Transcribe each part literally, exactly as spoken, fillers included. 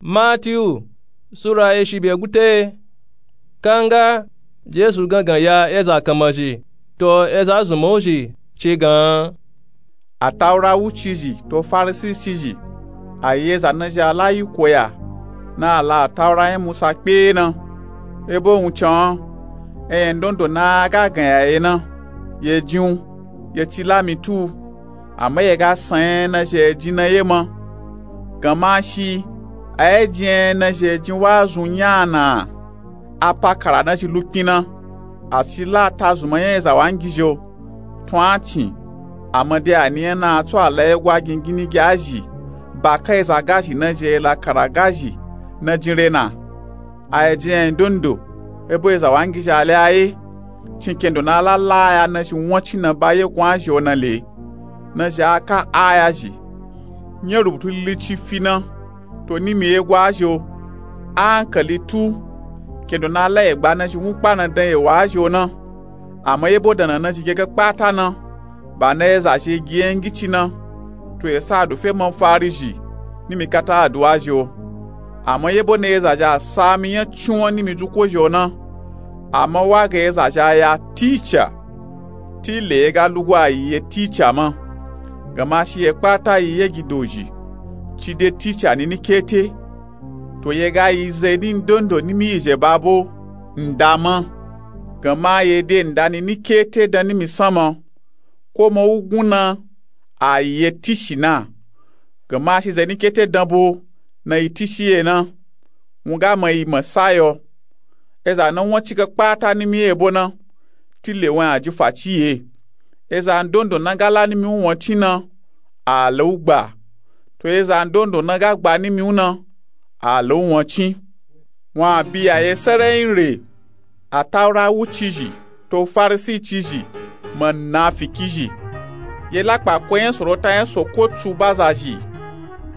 Matiyu sura eshi be gute. Kanga jesu gangan ya eza kanmazhi to eza zunmanwu zhi ci gan. Ataura wucizhi to farisi cizhi a yi eza nazhi a la yi koya na a la ataura nya musa kpe na. Ebo wun can enyandon do na a ga gan ya ye na ye jin wu ye ci la mi tu wu. Ama ye ga san nya nazhi a ye jin na ye ma. Ganma shi a ye jin nya nazhi a ye jin wa zun nya na a pa kara nazhi lukpin na. A ci la atazunman nya eza wangizhi o tun a cin. Ama de a ni nya na a tso a la ye gwa gingini gi a zhi ba ka eza gazhi nazhi a ye la kara gazhi na jin re na. A ye jin enyandon do ebo eza wangizhi a le a ye. Cin kendo na a la la aya nazhi won cin na ba ye gun a zhi o na le. Nazhi a ka aya zhi nya rubutu lilici fi na to nimi ye gwa a zhi o. A ankali tu kendo na a la ye gba nazhi wun kpa na dan ye wa a zhi o na. Ama yebo dan na nazhi ge ga kpata na ba na eza zhi ye gi nya ngici na. To esa a du fe manfari zhi nimi kata a du a zhi o. Ama yebo na eza zhi a sa mi nya cin won nimi dzuko zhi o na. Ama wa ga eza zhi a ya ticha ti le ye ga lugwa a yi ye ticha ma. Ganma shi ye kpata yi ye gi dozhi ci de ticha nini kete. To ye ga yi ze ni ndon do nimi yi zhe ba bo nda ma. Ganma ye de nda nini kete dan nimi san ma. Ko ma wugun na a yi ye tishi na. Ganma shi ze ni kete dan bo na yi tishi ye na. Wun ga ma yi ma sa yo. Eza na won ci ga kpata nimi ye bo na ti le won a ji faci ye. Eza ndon do na ga la nimi wun won cin na a la wu gba. To eza ndon do na ga gba nimi wun na a la wu won cin. Won a bi ya ye serenyi re. Ataura wucizhi to farisi cizhi munafiki zhi. Ye la kpa ko nya sorota nya soko tsu ba zazhi.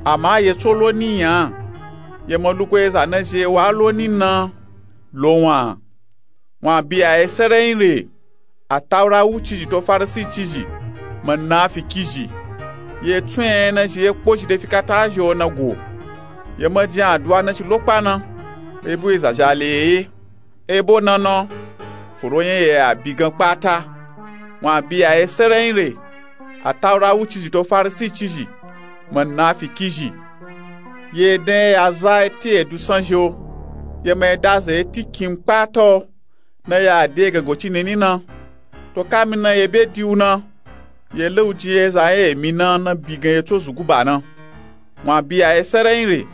Ama ye tso lo ni nya. Ye ma lugo eza nazhi ye wa lo ni na lo won a. Won a bi ya ye serenyi re. Ataura wucizhi to farisi cizhi munafiki zhi. Ye tsun nya nazhi ye kpozhi de fi kata a zhi o na go. Ye ma jin aduwa nazhi lo kpa na. Ebo eza zhi a le ye ye. Ebo na na foro nya ye a bi gan kpata. Won a bi ya ye serenyi re. Ataura wucizhi to farisi cizhi munafiki zhi. Ye den ye ya za eti edu san zhi o. Ye ma ye da ze eti kin kpata o. Na ya de gango ci nini na. To kami na ye be di wu na. Ye le wu jin ye eza nya emi na na bi gan ye tso zugu ba na. Won a bi ya ye serenyi re.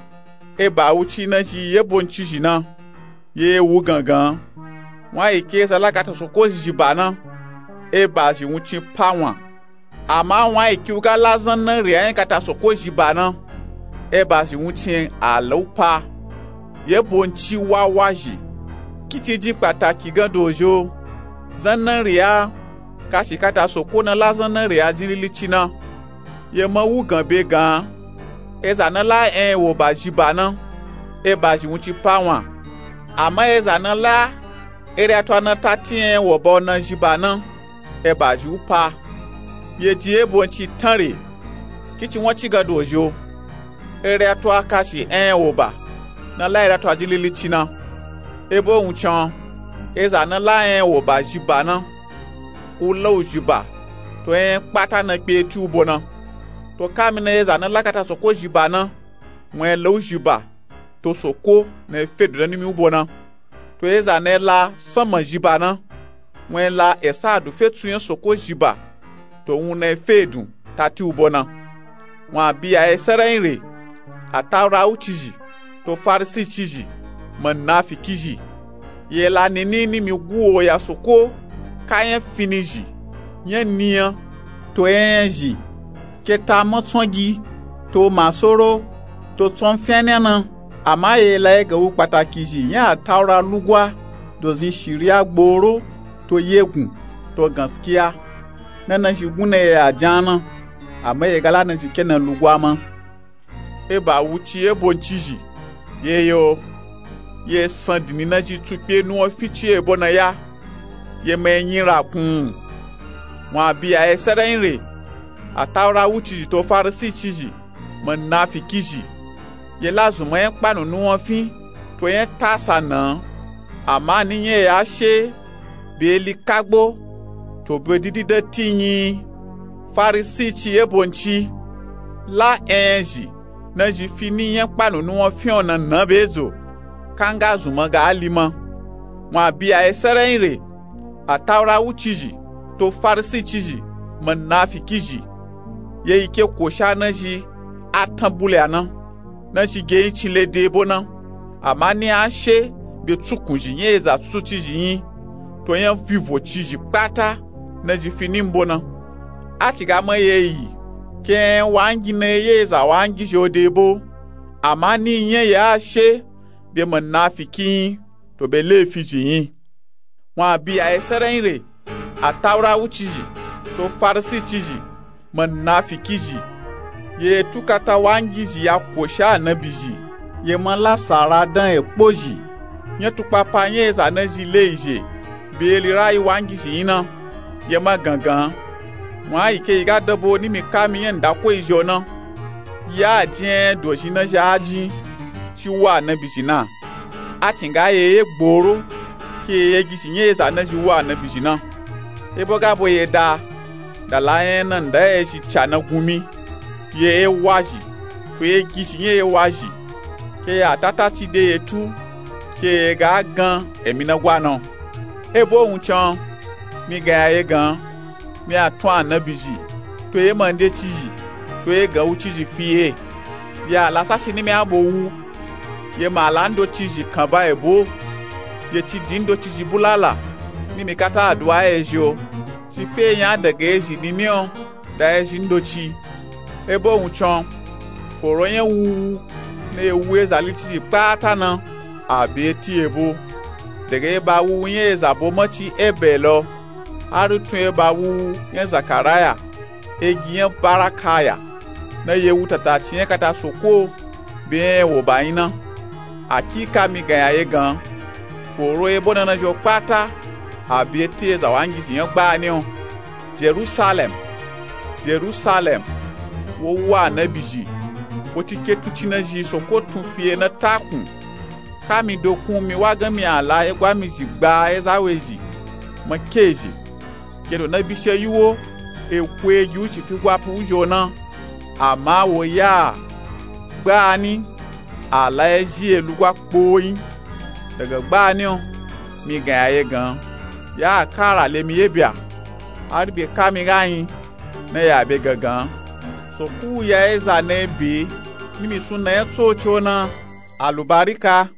Eba wuci nazhi ye bo ncizhi na. Ye wu gangan. Won a yi ke eza la kata soko zhi zhi ba na. Eba zhi wun cin pa won a. Ama won a yi ki wu ga la zanna re a nya kata soko zhi ba na. Eba zhi wun cin a la wu pa. Ye bo nci wawa zhi. Kici jin kpataki gan dozhi o. Zanna re a kashi kata soko na la zanna re a jin lilici na. Ye ma wu gan be gan. Eza na la enya wo ba zhi ba na. Eba zhi wun cin pa won a. Ama eza na la ere ato a na ta ti enya wo ba o na zhi ba na. Eba zhi wu pa. Ye jin ye bo nci tan re. Kici won ci gan dozhi o. Ere ato a kashi enya wo ba na la ere ato a jin lilici na. Ebo wun can eza na la enya wo ba zhi ba na. Wu la wu zhi ba. To enya kpata na kpe eti wu bo na. To kami na eza na la kata soko zhi ba na. Won ye la wu zhi ba. To soko na ye fe edu na nimi wu bo na. To eza na ye la sanma zhi ba na. Won ye la esa a du fe tsu nya soko zhi ba. To wun na ye fe edu ta ti wu bo na. Won a bi ya ye serenyi re. Ataura wucizhi to farisi cizhi munafiki zhi. Ye la nini nimi guwo ya soko ka nya fini zhi nya ni nya. To enya zhi ke ta matsongi to masoro to tsonfenya na. Ama ye la ye ga wu kpataki zhi nya ataura lugwa dozin shiriya gboro to yegun to ganskiya. Na nazhi gun na ye ya jan na. Ama ye ga la nazhi ke na lugwa ma. Eba wuci ye bo ncizhi. Ye yo ye san dini nazhi tsu kpe nuwon fi ci ebo na ya. Ye ma ye nyi rakun. Won a bi ya ye serenyi re. Ataura wucizhi to farisi cizhi munafiki zhi. ye la zunman nya kpanunu wan fin to nya tasa nan. Ama ni nya ya she be eli kagbo to be didi dan ti nyi. Farisi ci ye bo nci la enyazhi nazhi fi ni nya kpanunu wan fin o nan nan be zo kanga zunman ga ali ma. Wan a bi ya ye serenyi re, ataura wucizhi to farisi cizhi, munafiki zhi, ye yi ke kosha nazhi atan bulya na nazhi ge yin cin le de bo na. Ama ni a she be tsukunzhi nya eza tsutsu cizhi nyi to nya vivo cizhi kpata nazhi fi ni mbo na. A ci ga ma ye yi ke nya wangi na ye eza wangi zhi o de bo. Ama ni nya ya she be munafiki nyi to be lefi zhi nyi. Wan a bi ya ye serenyi re, ataura wucizhi to farisi cizhi, munafiki zhi, ye tukata wangi zhi ya kosha anabi zhi, ye ma la sara dan ekpo zhi. Nya tukpapa nya eza nazhi le yi zhe be eli rayi wangi zhi nyi na, ye ma gangan. Wan a yi ke yi ga dan bo ni mi ka mi nya ndako yi zhi o na, ya jin enya dozhi nazhi a jin ci wa anabi zhi na. A ci nga ye ye gboro ke ye ye gizhi nya eza nazhi wa anabi zhi na. Ebo ga bo ye da da la nya na nda ye zhi ca na gun mi ye ye wa zhi to ye gizhi nya ye wa zhi ke ya tata ci de ye tu ke ye ga gan emi na gwa na. Ebo wun can mi gan ya ye gan mi a tun anabi zhi to ye ma nde cizhi to ye gan wucizhi fi ye. Ye a la sashi ni mi a bo wu ye ma la ndocizhi kan ba ebo ye ci din ndocizhi bulala ni mi kata aduwa ye zhi o. Ci fe nya daga ye zhi ni ni o da ye zhi ndoci. Ebo wun can foro nya wuwu na ye wu eza li cizhi kpata na a be ti ebo daga ye ba wuwu nya eza bo ma ci ebe lo hari tun ye ba wuwu nya zakaraya egi nya barakaya na ye wu tata ci nya kata soko be nya ye wo ba nyi na. Akika mi gan ya ye gan foro ebo na nazhi o kpata a be ti eza wangi zhi nya gba ni o. Jerusalem, Jerusalem, wo wa anabi zhi wo ci ke tuci nazhi soko tun fi ye na takun. Ka mi dokun mi wa gan mi a la ye gwa mi zhi gba ye za we zhi ma ke zhi ke do na bishe yi wo eku egi wu ci fi gwa pu wu zhi o na. Ama wo ya gba ni a la ye zhi ye lugwa kpo nyi. Daga gba ni o mi gan ya ye gan ya a kara le mi ye bya hari be ka mi ga nyi na ya be gangan. Soko ya ye za na ye be ni mi sun na nya tsoci o na alubarika.